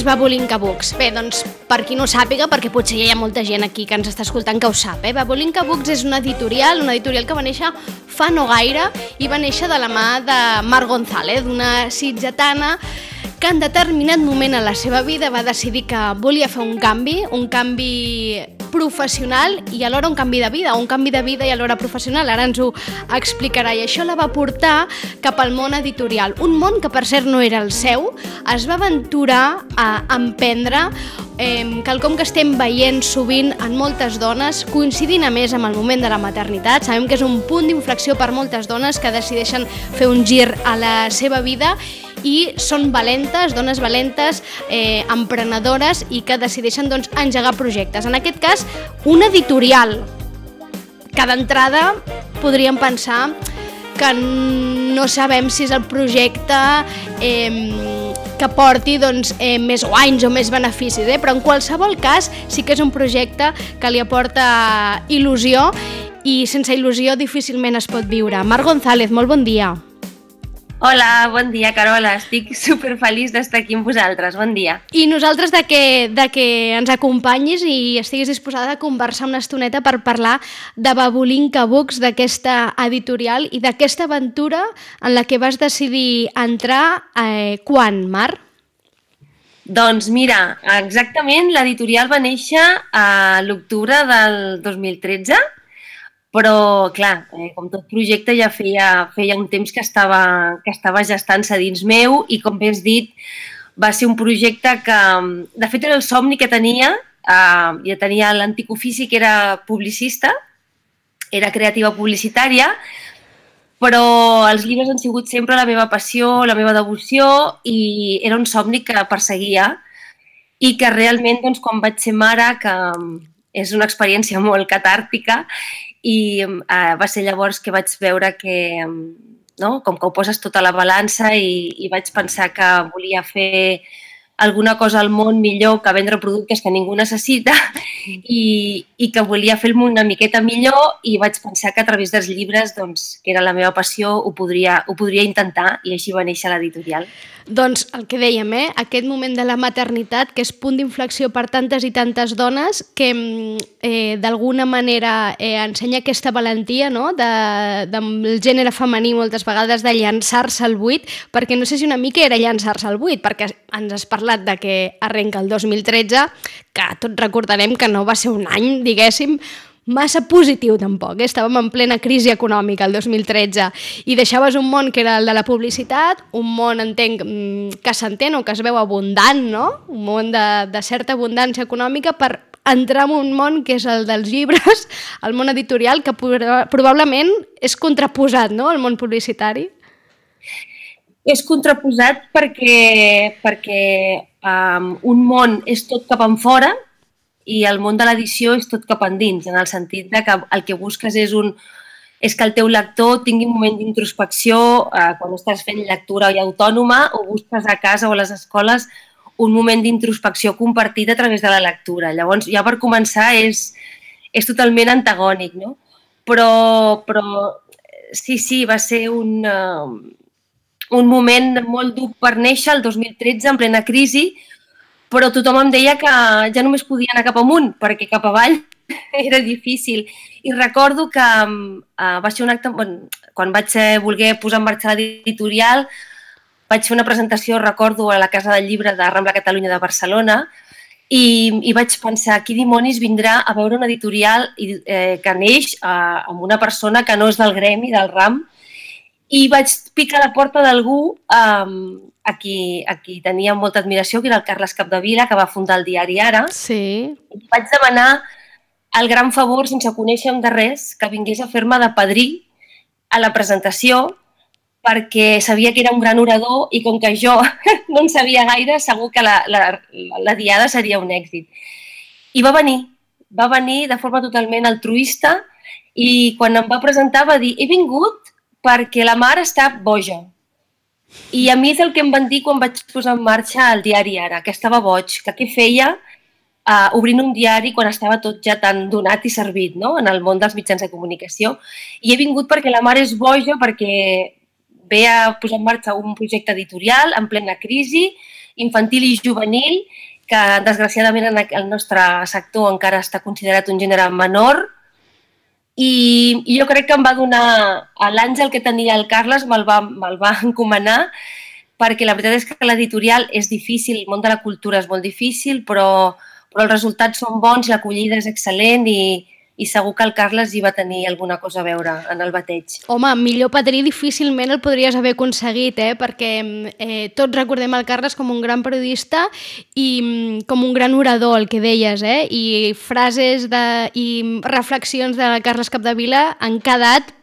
Babulinka Books? Bé, doncs, per qui no ho sàpiga, perquè potser hi ha molta gent aquí que ens està escoltant que ho sap, Babulinka Books és una editorial que va néixer fa no gaire i va néixer de la mà de Mar González, una sitgetana que en determinat moment en la seva vida va decidir que volia fer un canvi professional i alhora un canvi de vida i alhora professional. Ara ens ho explicarà i això la va portar cap al món editorial. Un món que, per cert, no era el seu. Es va aventurar a emprendre quelcom que estem veient sovint en moltes dones, coincidint a més amb el moment de la maternitat. Sabem que és un punt d'inflexió per moltes dones que decideixen fer un gir a la seva vida i són valentes, dones valentes, emprenedores i que decideixen engegar projectes. En aquest cas, un editorial que d'entrada podríem pensar que no sabem si és el projecte que porti més guanys o més beneficis, però en qualsevol cas sí que és un projecte que li aporta il·lusió i sense il·lusió difícilment es pot viure. Mar González, molt bon dia. Hola, bon dia, Carola. Estic superfeliç d'estar aquí amb vosaltres. Bon dia. I nosaltres de que ens acompanyis i estiguis disposada a conversar una estoneta per parlar de Babulinka Books, d'aquesta editorial i d'aquesta aventura en la que vas decidir entrar quan, Mar? Doncs mira, exactament l'editorial va néixer a l'octubre del 2013, però, clar, com tot projecte ja feia un temps que estava gestant-se dins meu i, com bé has dit, va ser un projecte que, de fet, era el somni que tenia. Ja tenia l'antic ofici, que era publicista, era creativa publicitària, però els llibres han sigut sempre la meva passió, la meva devoció i era un somni que perseguia i que realment, quan vaig ser mare, que és una experiència molt catàrtica, i va ser llavors que vaig veure que, com que ho poses tot a la balança i vaig pensar que volia fer alguna cosa al món millor que vendre productes que ningú necessita i que volia fer el món una miqueta millor i vaig pensar que a través dels llibres, que era la meva passió, ho podria intentar i així va néixer l'editorial. Doncs el que dèiem, aquest moment de la maternitat, que és punt d'inflexió per tantes i tantes dones, que d'alguna manera ensenya aquesta valentia del gènere femení moltes vegades de llançar-se al buit, perquè no sé si una mica era llançar-se al buit, perquè ens has parlat de que arrenca el 2013, que tots recordarem que no va ser un any, diguéssim, massa positiu tampoc. Estàvem en plena crisi econòmica el 2013 i deixaves un món que era el de la publicitat, un món, entenc, que s'entén o que es veu abundant, no? Un món de certa abundància econòmica per entrar en un món que és el dels llibres, el món editorial, que probablement és contraposat, no?, al món publicitari. És contraposat perquè un món és tot cap enfora i el món de l'edició és tot cap endins, en el sentit que el que busques és que el teu lector tingui un moment d'introspecció quan estàs fent lectura autònoma o busques a casa o a les escoles un moment d'introspecció compartit a través de la lectura. Llavors, ja per començar, és totalment antagònic, no? Però sí, va ser un moment molt dur per néixer, el 2013, en plena crisi, però tothom em deia que ja només podia anar cap amunt, perquè cap avall era difícil. I recordo que va ser un acte, quan vaig voler posar en marxa l'editorial, vaig fer una presentació, recordo, a la Casa del Llibre de Rambla Catalunya de Barcelona i vaig pensar, qui dimonis vindrà a veure una editorial que neix amb una persona que no és del gremi, del ram, i vaig picar a la porta d'algú a qui tenia molta admiració, que era el Carles Capdevila, que va fundar el diari Ara. Sí. I vaig demanar el gran favor, sense conèixer-me de res, que vingués a fer-me de padrí a la presentació, perquè sabia que era un gran orador i com que jo no en sabia gaire, segur que la diada seria un èxit. I va venir de forma totalment altruista i quan em va presentar va dir: he vingut perquè la Mar està boja. I a mi és el que em van dir quan vaig posar en marxa el diari Ara, que estava boig, que què feia obrint un diari quan estava tot ja tan donat i servit, no?, en el món dels mitjans de comunicació. I he vingut perquè la Mar és boja, perquè ve a posar en marxa un projecte editorial en plena crisi, infantil i juvenil, que desgraciadament en el nostre sector encara està considerat un gènere menor. I jo crec que em va donar l'àngel que tenia el Carles, me'l va encomanar, perquè la veritat és que l'editorial és difícil, el món de la cultura és molt difícil, però els resultats són bons, l'acollida és excel·lent i segur que el Carles hi va tenir alguna cosa a veure en el bateig. Home, millor padrí difícilment el podries haver aconseguit, perquè tots recordem el Carles com un gran periodista i com un gran orador, el que deies, i frases i reflexions de Carles Capdevila han quedat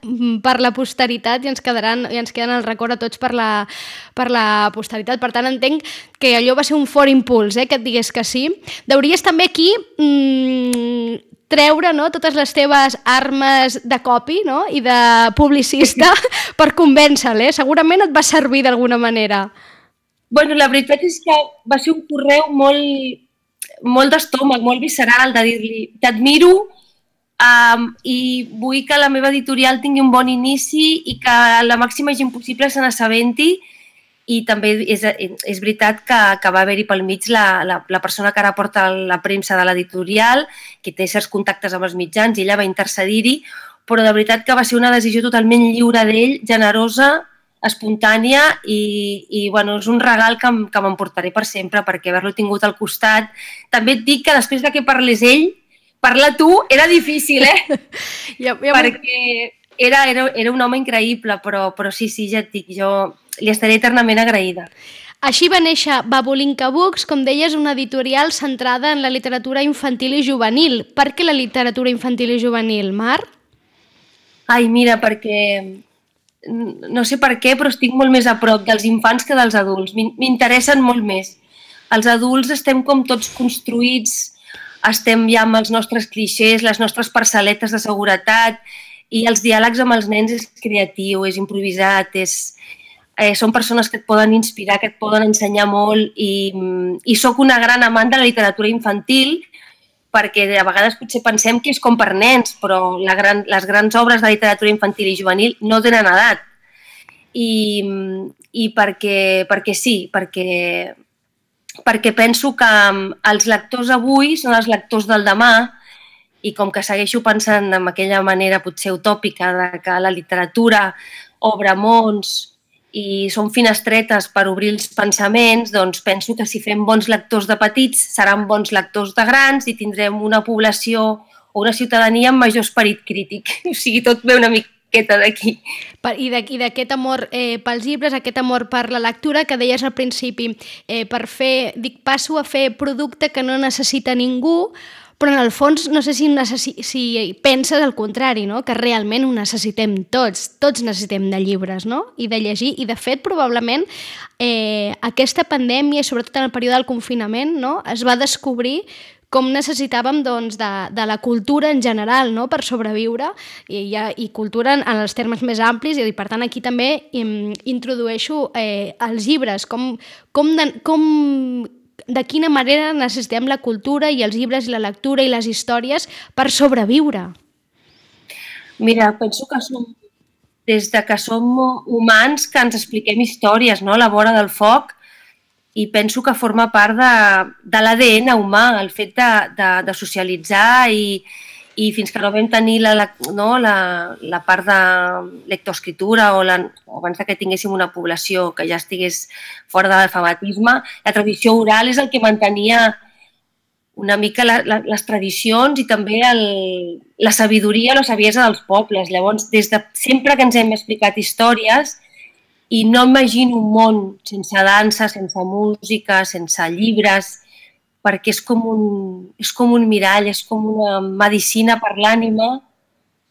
per la posteritat i ens queden al record a tots per la posteritat. Per tant, entenc que allò va ser un fort impuls, que et digués que sí. Deuries també aquí treure, no, totes les teves armes de copy, no, i de publicista per convèncer-lo. Segurament et va servir d'alguna manera. Bueno, la veritat és que va ser un correu molt d'estómac, molt visceral, de dir-li t'admiro i vull que la meva editorial tingui un bon inici i que la màxima gent possible se n'assabenti. I també és veritat que va haver-hi pel mig la persona que ara porta la premsa de l'editorial, que té certs contactes amb els mitjans i ella va intercedir-hi, però de veritat que va ser una decisió totalment lliure d'ell, generosa, espontània i bueno, és un regal que m'emportaré per sempre perquè haver-lo tingut al costat. També et dic que després que parlés ell, parlar tu era difícil, perquè era un home increïble, però sí, ja et dic, jo li estaré eternament agraïda. Així va néixer Babulinka Books, com deies, una editorial centrada en la literatura infantil i juvenil. Per què la literatura infantil i juvenil, Mar? Ai, mira, perquè no sé per què, però estic molt més a prop dels infants que dels adults. M'interessen molt més. Els adults estem com tots construïts, estem ja amb els nostres clixés, les nostres parcel·letes de seguretat, i els diàlegs amb els nens és creatiu, és improvisat, són persones que et poden inspirar, que et poden ensenyar molt i sóc una gran amant de la literatura infantil perquè a vegades potser pensem que és com per nens, però les grans obres de literatura infantil i juvenil no tenen edat. I perquè sí, perquè penso que els lectors avui són els lectors del demà i com que segueixo pensant en aquella manera potser utòpica de que la literatura obre mons i són finestretes per obrir els pensaments, doncs penso que si fem bons lectors de petits seran bons lectors de grans i tindrem una població o una ciutadania amb major esperit crític. O sigui, tot ve una miqueta d'aquí. I d'aquest amor pels llibres, aquest amor per la lectura que deies al principi, passo a fer producte que no necessita ningú, però en el fons no sé si penses el contrari, no? Que realment ho necessitem tots necessitem de llibres, no? I de llegir, i de fet probablement aquesta pandèmia, sobretot en el període del confinament, no? Es va descobrir com necessitàvem doncs, de la cultura en general, no? Per sobreviure, i cultura en els termes més amplis, i per tant aquí també introdueixo els llibres, de quina manera necessitem la cultura i els llibres i la lectura i les històries per sobreviure. Mira, penso que des que som humans que ens expliquem històries, no? A la vora del foc, i penso que forma part de l'ADN humà, el fet de socialitzar i fins que no vam tenir la part de lectoescriptura o abans que tinguéssim una població que ja estigués fora de l'alfabetisme, la tradició oral és el que mantenia una mica les tradicions i també la sabidoria, la saviesa dels pobles. Llavors, des de sempre que ens hem explicat històries, i no imagino un món sense dansa, sense música, sense llibres, perquè és com un mirall, és com una medicina per l'ànima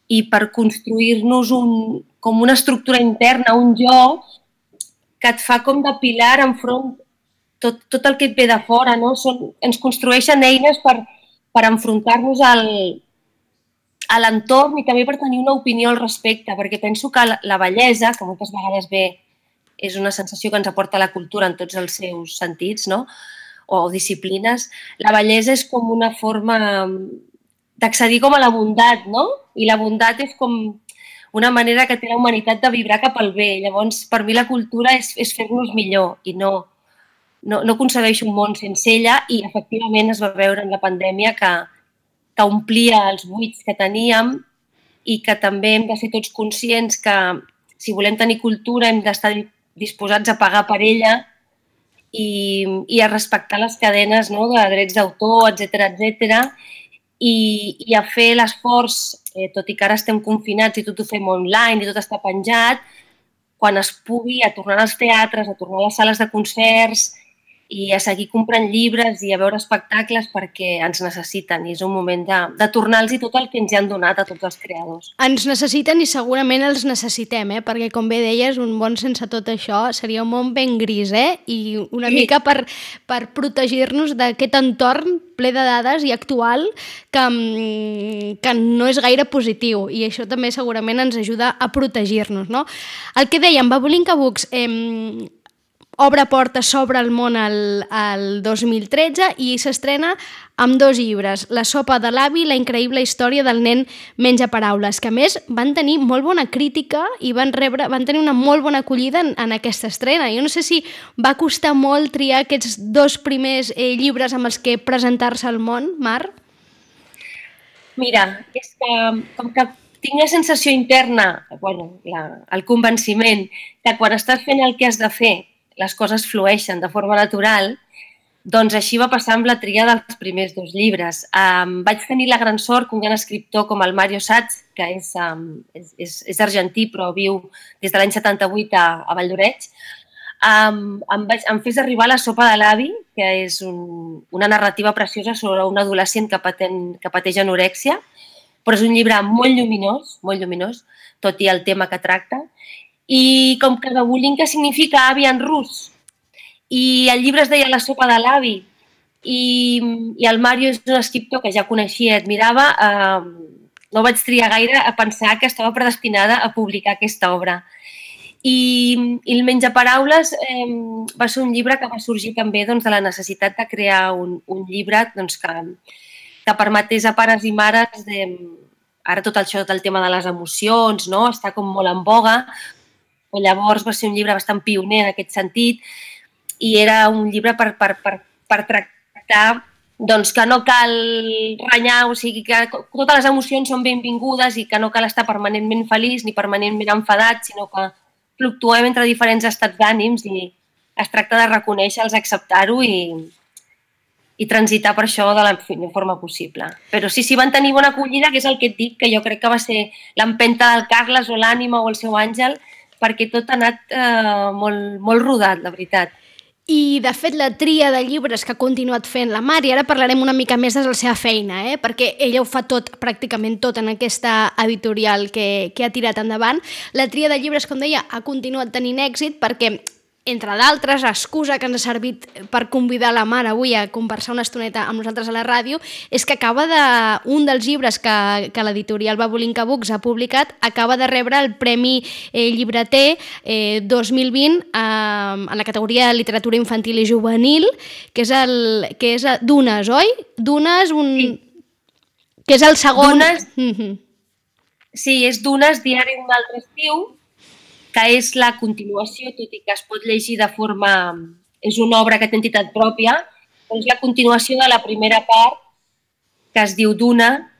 i per construir-nos com una estructura interna, un jo que et fa com de pilar enfront tot el que et ve de fora, no? Ens construeixen eines per enfrontar-nos a l'entorn i també per tenir una opinió al respecte, perquè penso que la bellesa, que moltes vegades és una sensació que ens aporta la cultura en tots els seus sentits, no? O disciplines, la bellesa és com una forma d'accedir com a la bondat, no? I la bondat és com una manera que té la humanitat de vibrar cap al bé. Llavors, per mi la cultura és fer-nos millor i no concebeixo un món sense ella i efectivament es va veure en la pandèmia que omplia els buits que teníem i que també hem de ser tots conscients que si volem tenir cultura hem d'estar disposats a pagar per ella i a respectar les cadenes, no?, de drets d'autor, etc i a fer l'esforç, tot i que ara estem confinats i tot ho fem online i tot està penjat, quan es pugui, a tornar als teatres, a tornar a les sales de concerts i a seguir comprant llibres i a veure espectacles perquè ens necessiten i és un moment de tornar-los tot el que ens han donat a tots els creadors. Ens necessiten i segurament els necessitem, perquè com bé deies, un món sense tot això seria un món ben gris, i una mica per protegir-nos d'aquest entorn ple de dades i actual que no és gaire positiu i això també segurament ens ajuda a protegir-nos, no? El que dèiem, Babulinka Books obre portes, s'obre el món el 2013 i s'estrena amb 2 llibres, La sopa de l'avi i La increïble història del nen menja paraules, que a més van tenir molt bona crítica i van tenir una molt bona acollida en aquesta estrena. Jo no sé si va costar molt triar aquests 2 primers llibres amb els que presentar-se al món, Mar? Mira, és que com que tinc la sensació interna, el convenciment que quan estàs fent el que has de fer les coses flueixen de forma natural, doncs així va passar amb la tria dels primers 2 llibres. Vaig tenir la gran sort que un gran escriptor com el Mario Satz, que és argentí però viu des de l'any 78 a Valldoreix, em fes arribar La sopa de l'avi, que és una narrativa preciosa sobre un adolescent que pateix anorèxia, però és un llibre molt lluminós, tot i el tema que tracta. I com que Babulinka significa avi en rus i el llibre es deia La sopa de l'avi i el Mario és un escriptor que ja coneixia i admirava, no vaig triar gaire a pensar que estava predestinada a publicar aquesta obra. I el Menjaparaules va ser un llibre que va sorgir també de la necessitat de crear un llibre que permetés a pares i mares ara tot això del tema de les emocions, no? Està com molt en boga. Llavors va ser un llibre bastant pioner en aquest sentit i era un llibre per tractar que no cal renyar, o sigui que totes les emocions són benvingudes i que no cal estar permanentment feliç ni permanentment enfadat, sinó que fluctuem entre diferents estats d'ànims i es tracta de reconèixer-los, acceptar-ho i transitar per això de la millor forma possible. Però sí, van tenir bona acollida, que és el que et dic, que jo crec que va ser l'empenta del Carles o l'ànima o el seu àngel, perquè tot ha anat molt rodat, la veritat. I, de fet, la tria de llibres que ha continuat fent la Mar, i ara parlarem una mica més de la seva feina, perquè ella ho fa tot, pràcticament tot, en aquesta editorial que ha tirat endavant. La tria de llibres, com deia, ha continuat tenint èxit perquè, entre d'altres, excusa que ens ha servit per convidar la Mar avui a conversar una estoneta amb nosaltres a la ràdio, és que un dels llibres que l'editorial Babulinka Books ha publicat acaba de rebre el Premi Llibreter 2020 en la categoria de literatura infantil i juvenil, que és Dunes, oi? Dunes, sí. Que és el segon... Dunes, sí, és Dunes, diari d'un altre estiu, que és la continuació, tot i que es pot llegir de forma... És una obra que té entitat pròpia, però és la continuació de la primera part, que es diu Duna,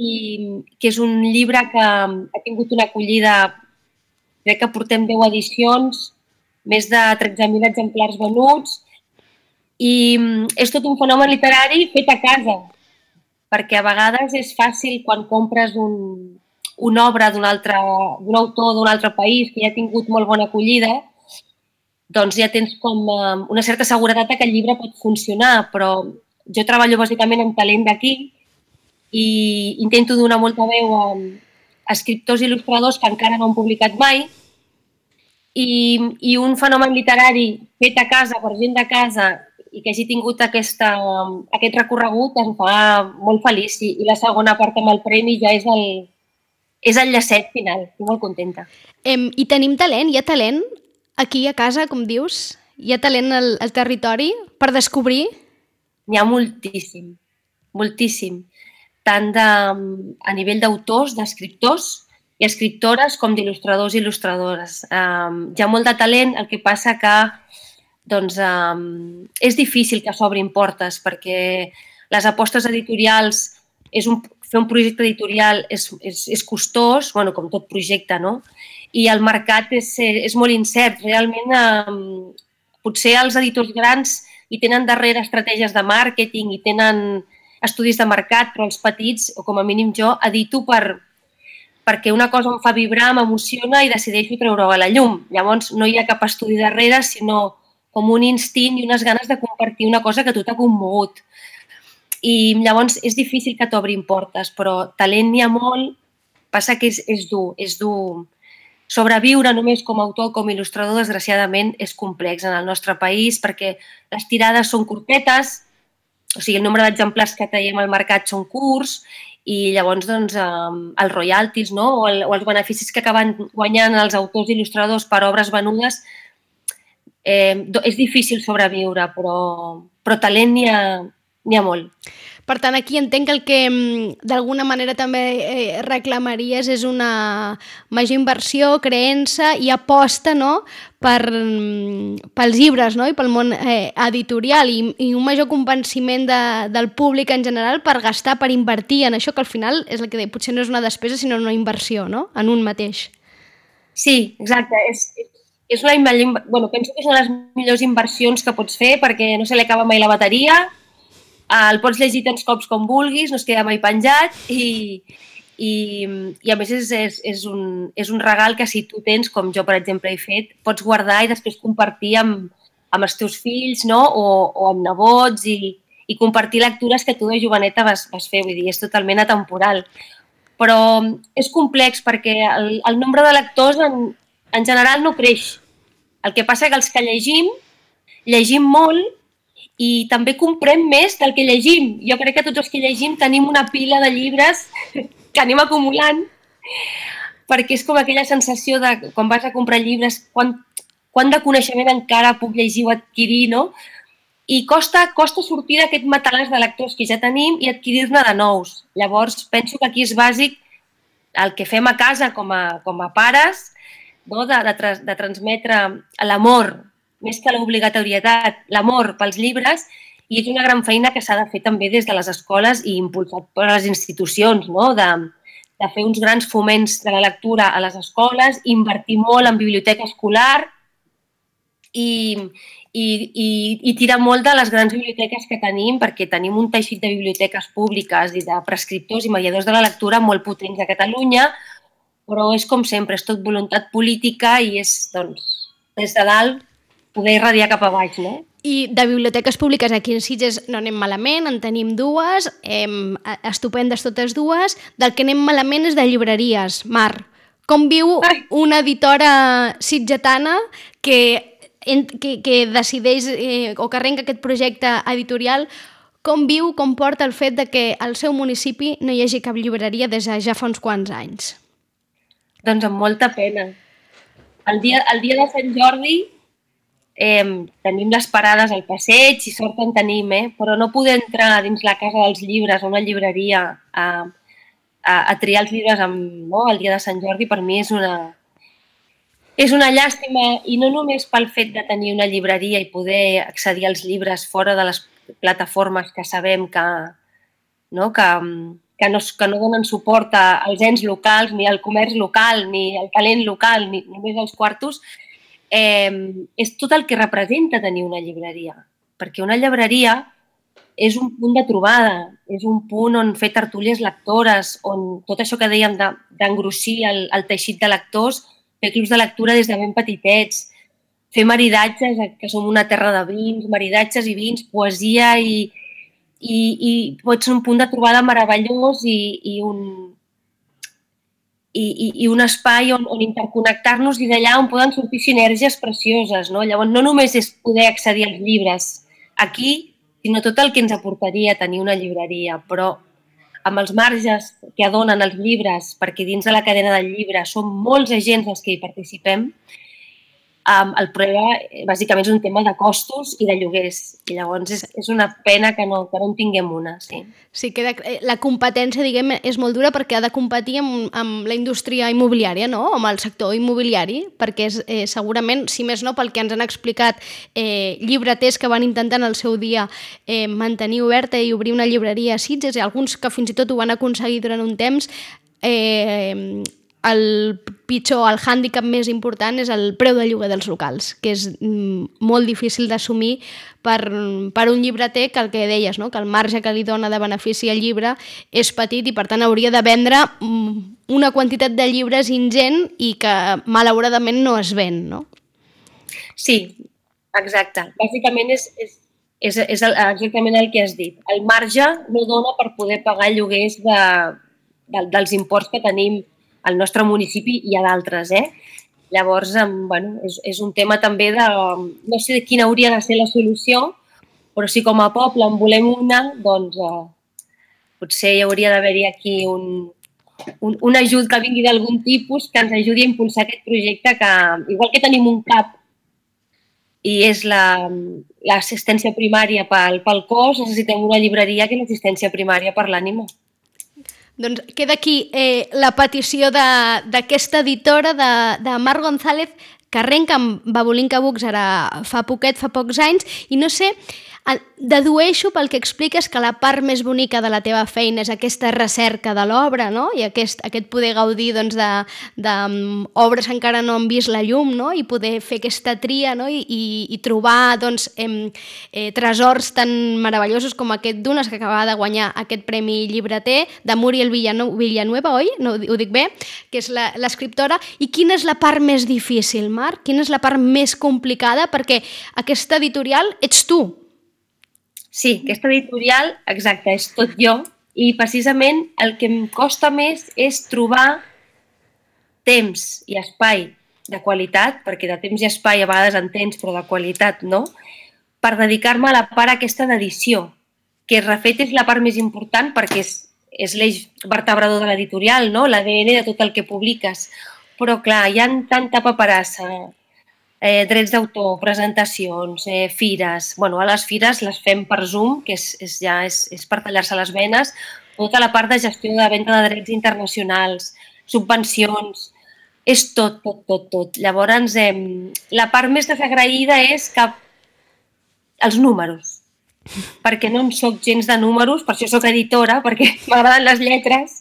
i que és un llibre que ha tingut una acollida, crec que portem 10 edicions, més de 13.000 exemplars venuts, i és tot un fenomen literari fet a casa, perquè a vegades és fàcil quan compres una obra d'un autor d'un altre país que ja ha tingut molt bona acollida, doncs ja tens com una certa seguretat que el llibre pot funcionar, però jo treballo bàsicament amb talent d'aquí i intento donar molta veu a escriptors i il·lustradors que encara no han publicat mai i un fenomen literari fet a casa per gent de casa i que hagi tingut aquest recorregut em fa molt feliç. I la segona part amb el premi ja és el llacet final. Estic molt contenta. I tenim talent? Hi ha talent aquí a casa, com dius? Hi ha talent al territori per descobrir? N'hi ha moltíssim, moltíssim. Tant a nivell d'autors, d'escriptors i escriptores com d'il·lustradors i il·lustradores. Hi ha molt de talent, el que passa que doncs, és difícil que s'obrin portes perquè les apostes editorials, fer un projecte editorial és costós, bueno, com tot projecte, no? I el mercat és molt incert. Realment, potser els editors grans hi tenen darrere estratègies de màrqueting i tenen estudis de mercat, però els petits, o com a mínim jo, edito perquè una cosa em fa vibrar, m'emociona i decideixo treure-ho a la llum. Llavors, no hi ha cap estudi darrere, sinó com un instint i unes ganes de compartir una cosa que a tu t'ha commogut. I llavors és difícil que t'obrin portes, però talent n'hi ha molt, passa que és dur. Sobreviure només com a autor o com a il·lustrador, desgraciadament, és complex en el nostre país perquè les tirades són curtetes, o sigui, el nombre d'exemplars que traiem al mercat són curts i llavors doncs, els royalties, no? o els beneficis que acaben guanyant els autors i il·lustradors per obres venudes, és difícil sobreviure, però talent n'hi ha molt. Per tant, aquí entenc que el que d'alguna manera també reclamaries és una major inversió, creença i aposta, no?, pels llibres, no?, i pel món editorial i un major convenciment del públic en general per gastar, per invertir en això, que al final és el que deia, potser no és una despesa sinó una inversió, no?, en un mateix. Sí, exacte. Penso que és una de les millors inversions que pots fer perquè no se li acaba mai la bateria, el pots llegir tants cops com vulguis, no es queda mai penjat i a més és un regal que si tu tens, com jo per exemple he fet, pots guardar i després compartir amb els teus fills, no? o amb nebots i compartir lectures que tu de joveneta vas fer, vull dir, és totalment atemporal. Però és complex perquè el nombre de lectors en general no creix. El que passa que els que llegim molt i també comprem més del que llegim. Jo crec que tots els que llegim tenim una pila de llibres que anem acumulant perquè és com aquella sensació de quan vas a comprar llibres, quant de coneixement encara puc llegir o adquirir, no? I costa sortir d'aquest matalàs de lectors que ja tenim i adquirir-ne de nous. Llavors, penso que aquí és bàsic el que fem a casa com a pares, no? de transmetre l'amor, més que l'obligatorietat, l'amor pels llibres, i és una gran feina que s'ha de fer també des de les escoles i impulsat per les institucions, no? de fer uns grans foments de la lectura a les escoles, invertir molt en biblioteca escolar i tirar molt de les grans biblioteques que tenim, perquè tenim un teixit de biblioteques públiques i de prescriptors i mediadors de la lectura molt potents a Catalunya, però és com sempre, és tot voluntat política i és, doncs, des de dalt, poder irradiar cap a baix, no? I de biblioteques públiques aquí en Sitges no anem malament, en tenim dues, estupendes totes dues. Del que anem malament és de llibreries. Mar, com viu una editora sitgetana que decideix o que arrenca aquest projecte editorial, com viu, com porta el fet de que al seu municipi no hi hagi cap llibreria des de ja fa uns quants anys? Doncs amb molta pena. El dia de Sant Jordi tenim les parades al passeig i sort en tenim, però no poder entrar dins la Casa dels Llibres o una llibreria a triar els llibres el dia de Sant Jordi per mi és una llàstima, i no només pel fet de tenir una llibreria i poder accedir als llibres fora de les plataformes que sabem que no donen suport als ens locals, ni al comerç local, ni al talent local, ni només als quartos, és tot el que representa tenir una llibreria. Perquè una llibreria és un punt de trobada, és un punt on fer tertúlies lectores, on tot això que dèiem d'engrossir el teixit de lectors, fer clubs de lectura des de ben petitets, fer maridatges, que som una terra de vins, maridatges i vins, poesia i pot ser un punt de trobada meravellós i un espai on interconnectar-nos i d'allà on poden sortir sinergies precioses, no? Llavors, no només és poder accedir als llibres, aquí, sinó tot el que ens aportaria tenir una llibreria, però amb els marges que donen els llibres, perquè dins de la cadena del llibre són molts agents els que hi participem, el problema bàsicament és un tema de costos i de lloguers. I llavors és una pena que no en tinguem una. Sí, sí que la competència, diguem, és molt dura perquè ha de competir amb la indústria immobiliària, no? Amb el sector immobiliari, perquè és, segurament, si més no, pel que ens han explicat llibreters que van intentar en el seu dia mantenir oberta i obrir una llibreria a Sitges, i alguns que fins i tot ho van aconseguir durant un temps, el hàndicap més important és el preu de lloguer dels locals, que és molt difícil d'assumir per un llibreter, que el que deies, no? Que el marge que li dona de benefici al llibre és petit i per tant hauria de vendre una quantitat de llibres ingent i que malauradament no es ven, no? Sí, exacte. Bàsicament és exactament el que has dit. El marge no dona per poder pagar lloguers dels imports que tenim al nostre municipi i a d'altres, Llavors, bueno, és un tema també de... No sé quina hauria de ser la solució, però si com a poble en volem una, doncs potser hi hauria d'haver-hi aquí un ajut que vingui d'algun tipus que ens ajudi a impulsar aquest projecte que, igual que tenim un CAP i és l'assistència primària pel cos, necessitem una llibreria que és l'assistència primària per l'ànima. Doncs queda aquí la petició d'aquesta editora de Mar González, que arrenca amb Babulinka Books ara fa pocs anys, i no sé, dedueixo pel que expliques que la part més bonica de la teva feina és aquesta recerca de l'obra, no? I aquest poder gaudir doncs, d'obres que encara no han vist la llum, no? I poder fer aquesta tria, no? I trobar doncs, tresors tan meravellosos com aquest d'unes que acabava de guanyar aquest premi llibreter de Muriel Villanueva, oi? No, ho dic bé? Que és l'escriptora. I quina és la part més difícil, Marc? Quina és la part més complicada? Perquè aquesta editorial ets tu. Sí, aquesta editorial, exacte, és tot jo, i precisament el que em costa més és trobar temps i espai de qualitat, perquè de temps i espai a vegades en tens, però de qualitat no, per dedicar-me a la part aquesta d'edició, que de fet és la part més important perquè és l'eix vertebrador de l'editorial, no? L'ADN de tot el que publiques. Però clar, hi ha tanta paperassa, drets d'autor, presentacions, fires. Bueno, a les fires les fem per Zoom, que és per tallar-se les venes, tota la part de gestió de venda de drets internacionals, subvencions, és tot. Llavors, la part més desagraïda és que els números, perquè no en soc gens de números, per això soc editora, perquè m'agraden les lletres,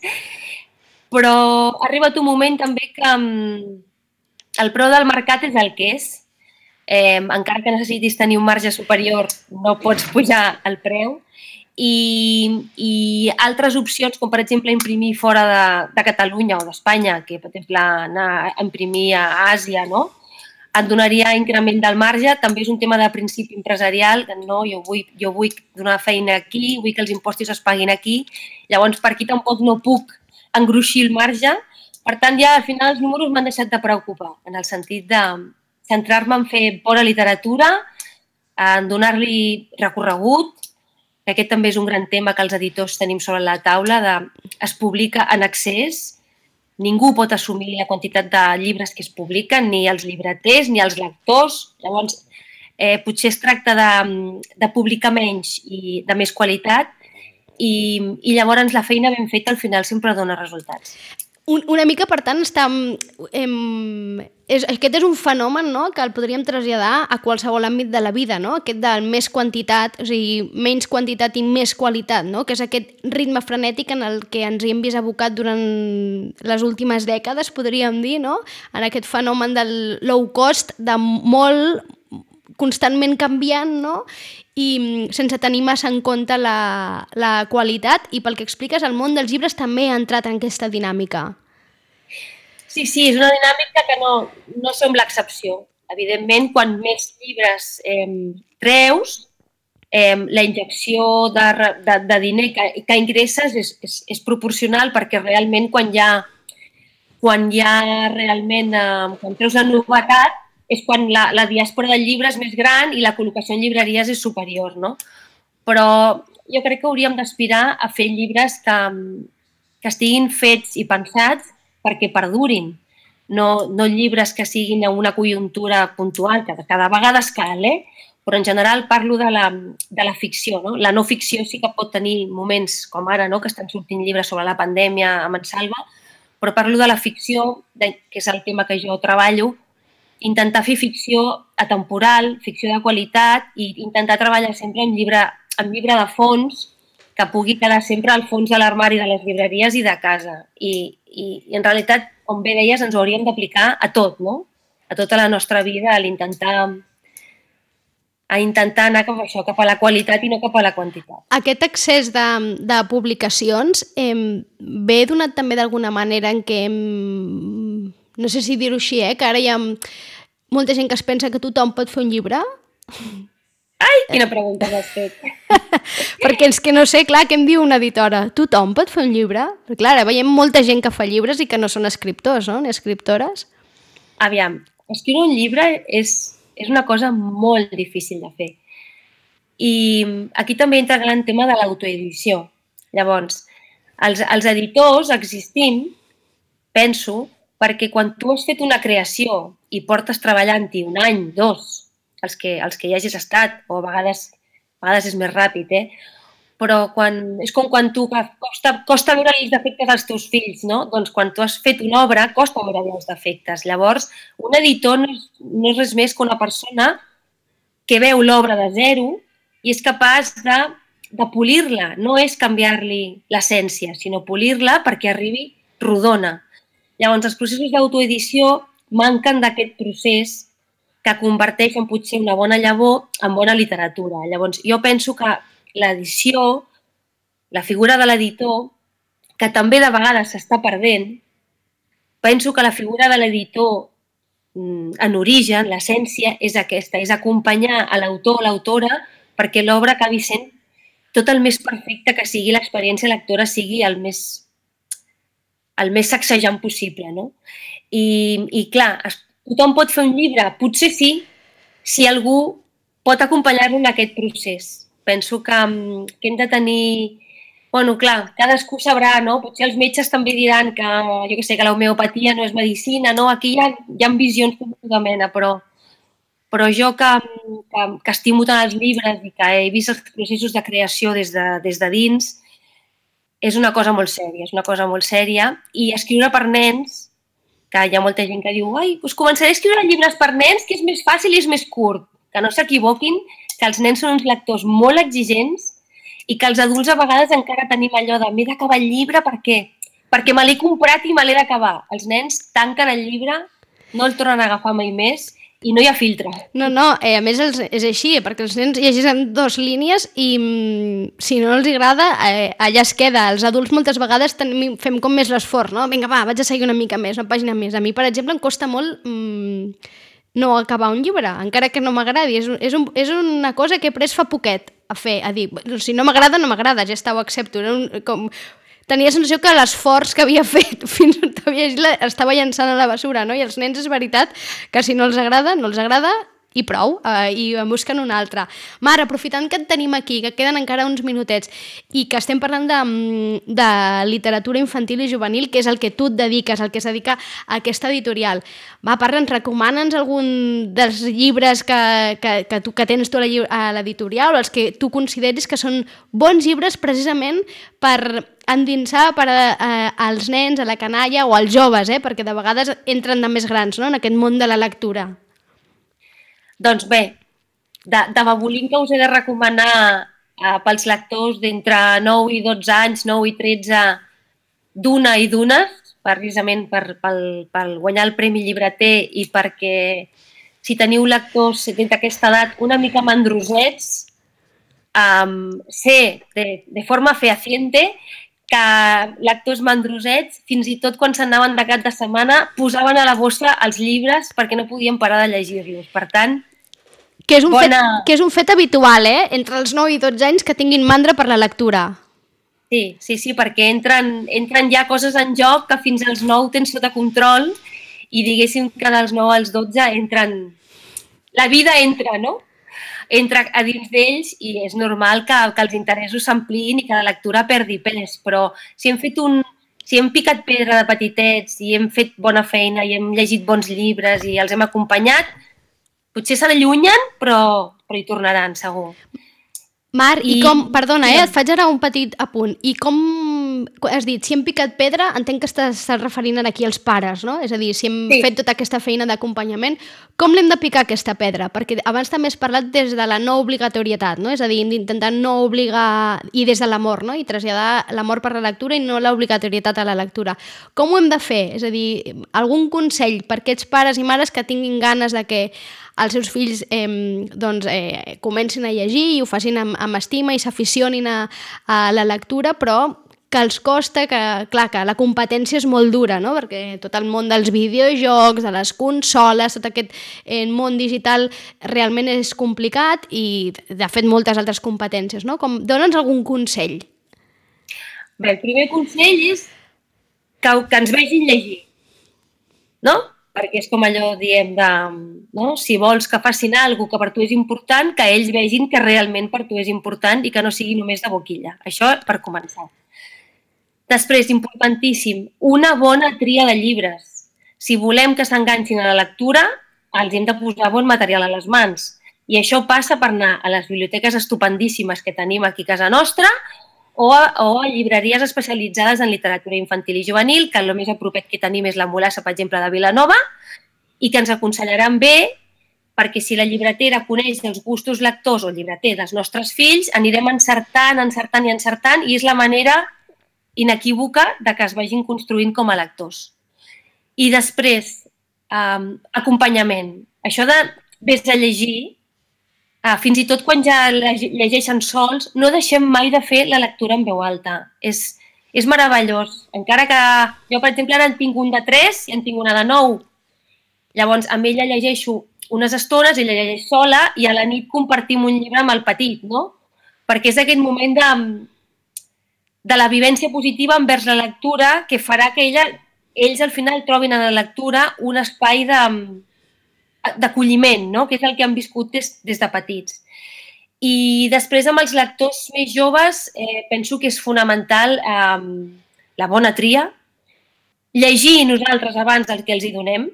però ha arribat un moment també que el preu del mercat és el que és. Encara que necessitis tenir un marge superior, no pots pujar el preu. I altres opcions, com per exemple imprimir fora de Catalunya o d'Espanya, que per exemple anar a imprimir a Àsia, no? Et donaria increment del marge. També és un tema de principi empresarial, que no, jo vull donar feina aquí, vull que els impostos es paguin aquí. Llavors, per aquí tampoc no puc engruixir el marge. Per tant, ja al final els números m'han deixat de preocupar, en el sentit de centrar-me en fer bona literatura, en donar-li recorregut, que aquest també és un gran tema que els editors tenim sobre la taula, es publica en excés, ningú pot assumir la quantitat de llibres que es publiquen, ni els llibreters, ni els lectors. Llavors, potser es tracta de publicar menys i de més qualitat, i llavors la feina ben feta al final sempre dona resultats. Una mica, per tant, aquest és un fenomen, no?, que el podríem traslladar a qualsevol àmbit de la vida, no? Aquest de més quantitat, o sigui, menys quantitat i més qualitat, no? Que és aquest ritme frenètic en el que ens hi hem vist abocat durant les últimes dècades, podríem dir, no? En aquest fenomen del low cost, de molt constantment canviant, no? I sense tenir massa en compte la qualitat, i pel que expliques el món dels llibres també ha entrat en aquesta dinàmica. Sí, és una dinàmica que no sembla excepció. Evidentment, quan més llibres treus, la injecció de diner que ingresses és proporcional, perquè realment quan treus la novetat és quan la diàspora del llibre és més gran i la col·locació en llibreries és superior, no? Però jo crec que hauríem d'aspirar a fer llibres que estiguin fets i pensats perquè perdurin. No llibres que siguin a una conjuntura puntual, que cada vegada es cal, però en general parlo de la ficció. No? La no ficció sí que pot tenir moments com ara, no? Que estan sortint llibres sobre la pandèmia a Mansalva, però parlo de la ficció, que és el tema que jo treballo, intentar fer ficció atemporal, ficció de qualitat i intentar treballar sempre amb llibre de fons que pugui quedar sempre al fons de l'armari de les llibreries i de casa. I en realitat, com bé deies, ens ho hauríem d'aplicar a tot, no? A tota la nostra vida, a intentar anar cap a això, cap a la qualitat i no cap a la quantitat. Aquest excés de publicacions ve donat també d'alguna manera en què, no sé si dir-ho així, que ara hi ha molta gent que es pensa que tothom pot fer un llibre? Ai, quina pregunta m'has fet! Perquè és que no sé, clar, què em diu una editora? Tothom pot fer un llibre? Perquè clar, ara veiem molta gent que fa llibres i que no són escriptors, no? Ni escriptores. Aviam, escriure un llibre és una cosa molt difícil de fer. I aquí també entra el gran tema de l'autoedició. Llavors, els editors existim, penso, perquè quan tu has fet una creació i portes treballant-hi un any, 2, els que hi hagis estat, o a vegades és més ràpid, però és com quan tu costa veure els defectes dels teus fills, no? Doncs quan tu has fet una obra costa veure els defectes. Llavors, un editor no és res més que una persona que veu l'obra de zero i és capaç de polir-la. No és canviar-li l'essència, sinó polir-la perquè arribi rodona. Llavors, els processos d'autoedició manquen d'aquest procés que converteix en potser una bona llavor en bona literatura. Llavors, jo penso que l'edició, la figura de l'editor, que també de vegades s'està perdent, penso que la figura de l'editor en origen, l'essència, és aquesta, és acompanyar a l'autor o l'autora perquè l'obra acabi sent tot el més perfecte que sigui l'experiència lectora, sigui el més sacsejant possible. No? I clar, tothom pot fer un llibre? Potser sí, si algú pot acompanyar-lo en aquest procés. Penso que hem de tenir... Bueno, clar, cadascú sabrà, no? Potser els metges també diran que, jo què sé, que l'homeopatia no és medicina, no? Aquí hi ha visions de tota mena, però jo que estimo tant els llibres i que he vist els processos de creació des de dins, és una cosa molt sèria, i escriure per nens, que hi ha molta gent que diu doncs començaré a escriure llibres per nens, que és més fàcil i és més curt. Que no s'equivoquin, que els nens són uns lectors molt exigents i que els adults a vegades encara tenim allò de m'he d'acabar el llibre, per què? Perquè me l'he comprat i me l'he d'acabar. Els nens tanquen el llibre, no el tornen a agafar mai més i no hi ha filtre. No, a més és així, perquè els nens llegeixen 2 línies i si no els agrada, allà es queda. Els adults moltes vegades fem com més l'esforç, no? Vinga, va, vaig a seguir una mica més, una pàgina més. A mi, per exemple, em costa molt no acabar un llibre, encara que no m'agradi. És una cosa que he pres fa poquet a dir, si no m'agrada, no m'agrada, ja està, ho accepto. Tenia la sensació que l'esforç que havia fet fins estava llançant a la bessura, no? I els nens és veritat que si no els agrada, no els agrada i prou, i en busquen un altre. Mar, aprofitant que et tenim aquí, que queden encara uns minutets, i que estem parlant de literatura infantil i juvenil, que és el que tu et dediques, el que es dedica a aquesta editorial. Va, recomana'ns algun dels llibres que tens tu a l'editorial, o els que tu consideris que són bons llibres precisament per endinsar als nens, a la canalla o als joves, perquè de vegades entren de més grans, no?, en aquest món de la lectura. Doncs bé, de Babolín que us he de recomanar pels lectors d'entre 9 i 12 anys, 9 i 13, d'una i d'unes, precisament per guanyar el Premi Llibreter i perquè si teniu lectors d'aquesta edat una mica mandrosets, sé de forma fehaciente que lectors mandrosets, fins i tot quan s'anaven de cap de setmana, posaven a la bossa els llibres perquè no podien parar de llegir-los. Per tant, que és un fet habitual, entre els 9 i 12 anys que tinguin mandra per la lectura. Sí, perquè entren ja coses en joc que fins als 9 tens sota control i diguéssim que dels 9 als 12 entren la vida entra, no? Entra a dins d'ells i és normal que els interessos s'ampliïn i que la lectura perdi pes, però si hem picat pedra de petitets i hem fet bona feina i hem llegit bons llibres i els hem acompanyat, potser s'allunyen, però hi tornaran, segur. Mar, i com... Perdona, et faig ara un petit apunt. I com... Has dit, si hem picat pedra, entenc que estàs referint aquí als pares, no? És a dir, si hem fet tota aquesta feina d'acompanyament, com l'hem de picar aquesta pedra? Perquè abans també has parlat des de la no obligatorietat, no? És a dir, d'intentar no obligar... I des de l'amor, no? I traslladar l'amor per la lectura i no l'obligatorietat a la lectura. Com ho hem de fer? És a dir, algun consell per aquests pares i mares que tinguin ganes de que els seus fills comencin a llegir i ho facin amb estima i s'aficionin a la lectura, però que els costa, que clar, que la competència és molt dura, no? Perquè tot el món dels videojocs, de les consoles, tot aquest món digital realment és complicat i, de fet, moltes altres competències, no? Dóna'ns algun consell. Bé, el primer consell és que ens vegin llegir, no? Perquè és com allò, diem, no? Si vols que facin alguna cosa que per tu és important, que ells vegin que realment per tu és important i que no sigui només de boquilla. Això per començar. Després, importantíssim, una bona tria de llibres. Si volem que s'enganxin a la lectura, els hem de posar bon material a les mans. I això passa per anar a les biblioteques estupendíssimes que tenim aquí a casa nostra o a llibreries especialitzades en literatura infantil i juvenil, que el més a propet que tenim és la Mulassa, per exemple, de Vilanova, i que ens aconsellaran bé, perquè si la llibretera coneix els gustos lectors o el llibreter dels nostres fills, anirem encertant, i és la manera inequívoca de que es vagin construint com a lectors. I després, acompanyament. Això de vés a llegir, fins i tot quan ja llegeixen sols, no deixem mai de fer la lectura en veu alta. És meravellós. Encara que jo, per exemple, ara en tinc un de 3 i en tinc una de 9. Llavors, amb ella llegeixo unes estones, ella llegeix sola i a la nit compartim un llibre amb el petit, no? Perquè és aquest moment de la vivència positiva envers la lectura que farà que ells al final trobin a la lectura un espai d'acolliment, no? Que és el que han viscut des de petits. I després amb els lectors més joves penso que és fonamental la bona tria, llegir nosaltres abans del que els hi donem,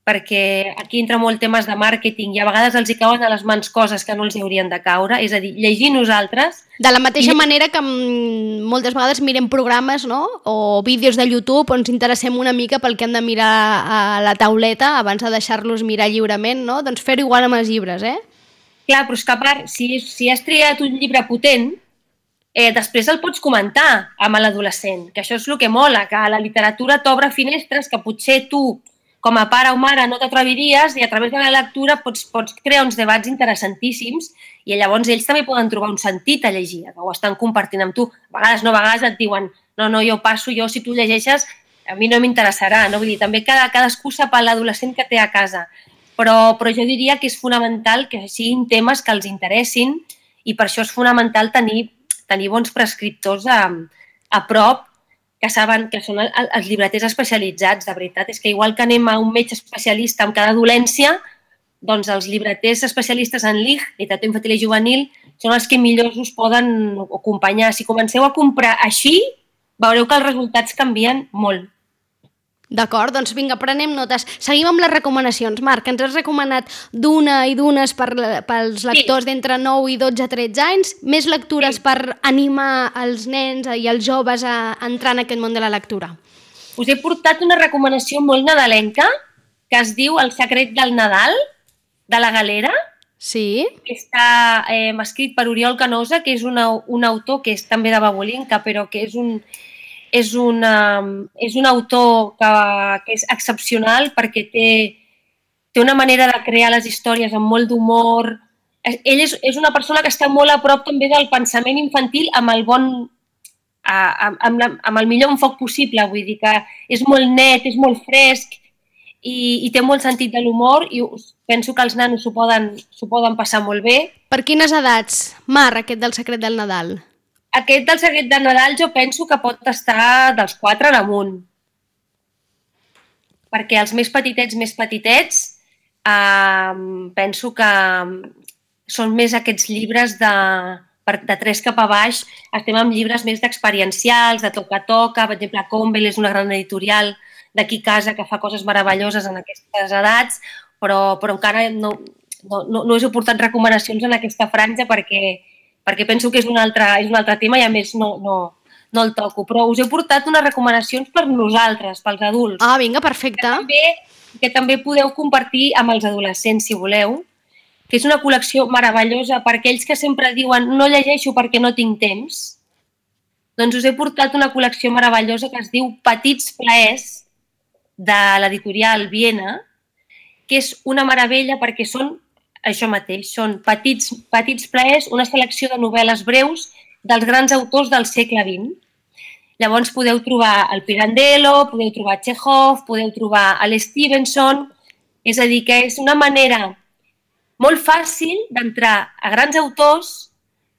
perquè aquí entra molt temes de màrqueting i a vegades els hi cauen a les mans coses que no els haurien de caure, és a dir, llegir nosaltres... De la mateixa manera que moltes vegades mirem programes, no? O vídeos de YouTube on ens interessem una mica pel que hem de mirar a la tauleta abans de deixar-los mirar lliurement, no? Doncs fer-ho igual amb els llibres, eh? Clar, però és que a part, si has triat un llibre potent, després el pots comentar amb l'adolescent, que això és el que mola, que la literatura t'obre finestres que potser tu com a pare o mare no t'atreviries i a través de la lectura pots crear uns debats interessantíssims i llavors ells també poden trobar un sentit a llegir, que ho estan compartint amb tu. A vegades et diuen no, jo passo, si tu llegeixes a mi no m'interessarà, no? Vull dir, també cadascú sap l'adolescent que té a casa, però jo diria que és fonamental que siguin temes que els interessin i per això és fonamental tenir bons prescriptors a prop que saben que són els llibreters especialitzats, de veritat. És que igual que anem a un metge especialista amb cada dolència, doncs els llibreters especialistes en LIG, literatura infantil i juvenil, són els que millor us poden acompanyar. Si comenceu a comprar així, veureu que els resultats canvien molt. D'acord, doncs vinga, prenem notes. Seguim amb les recomanacions. Marc, ens has recomanat d'una i d'unes pels lectors d'entre 9 i 12-13 anys, més lectures per animar els nens i els joves a entrar en aquest món de la lectura. Us he portat una recomanació molt nadalenca que es diu El secret del Nadal, de la Galera. Sí. Que està escrit per Oriol Canosa, que és un autor que és també de Babolinka, però que és un autor que és excepcional perquè té una manera de crear les històries amb molt d'humor. Ell és una persona que està molt a prop també del pensament infantil amb el millor enfoc possible. Vull dir que és molt net, és molt fresc i té molt sentit de l'humor i penso que els nanos s'ho poden passar molt bé. Per quines edats, Mar, aquest del secret del Nadal? Aquest del secret de Nadal jo penso que pot estar dels 4 en amunt. Perquè els més petitets, penso que són més aquests llibres de 3 cap a baix. Estem amb llibres més d'experiencials, de toca a toca. Per exemple, Convel és una gran editorial d'aquí a casa que fa coses meravelloses en aquestes edats, però encara no us he portat recomanacions en aquesta franja perquè penso que és un altre tema i a més no el toco. Però us he portat unes recomanacions per nosaltres, pels adults. Ah, vinga, perfecte. Que també podeu compartir amb els adolescents, si voleu, que és una col·lecció meravellosa per aquells que sempre diuen no llegeixo perquè no tinc temps. Doncs us he portat una col·lecció meravellosa que es diu Petits plaers, de l'editorial Viena, que és una meravella perquè són això mateix, són petits plaers, una selecció de novel·les breus dels grans autors del segle XX. Llavors podeu trobar el Pirandello, podeu trobar Chekhov, podeu trobar l'Stevenson, és a dir, que és una manera molt fàcil d'entrar a grans autors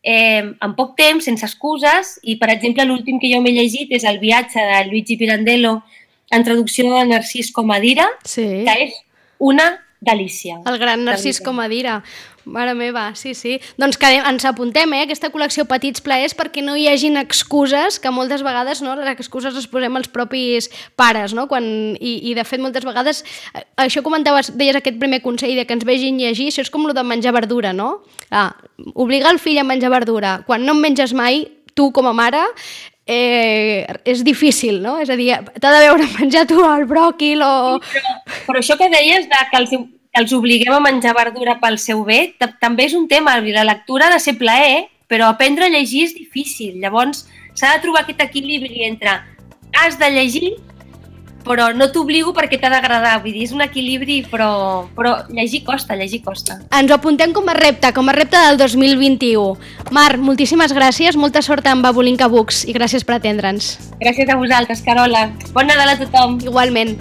en poc temps, sense excuses, i per exemple l'últim que jo m'he llegit és El viatge de Luigi Pirandello en traducció de Narcís Comadira, sí, que és una delícia. El gran Narcís Comadira. Mare meva, sí. Doncs que ens apuntem, aquesta col·lecció Petits plaers, perquè no hi hagin excuses, que moltes vegades les excuses les posem els propis pares, no? I de fet moltes vegades, això comentaves, deies aquest primer consell de que ens vegin llegir, això és com el de menjar verdura, no? Obligar el fill a menjar verdura, quan no en menges mai, tu com a mare, és difícil, no? És a dir, t'ha de veure menjar tu el bròquil o... Però això que deies que els obliguem a menjar verdura pel seu bé, també és un tema. La lectura ha de ser plaer, però aprendre a llegir és difícil. Llavors, s'ha de trobar aquest equilibri entre has de llegir, però no t'obligo perquè t'ha d'agradar. Vull dir, és un equilibri, però llegir costa. Ens ho apuntem com a repte del 2021. Mar, moltíssimes gràcies, molta sort amb Babulinka Books i gràcies per atendre'ns. Gràcies a vosaltres, Carola. Bon Nadal a tothom. Igualment.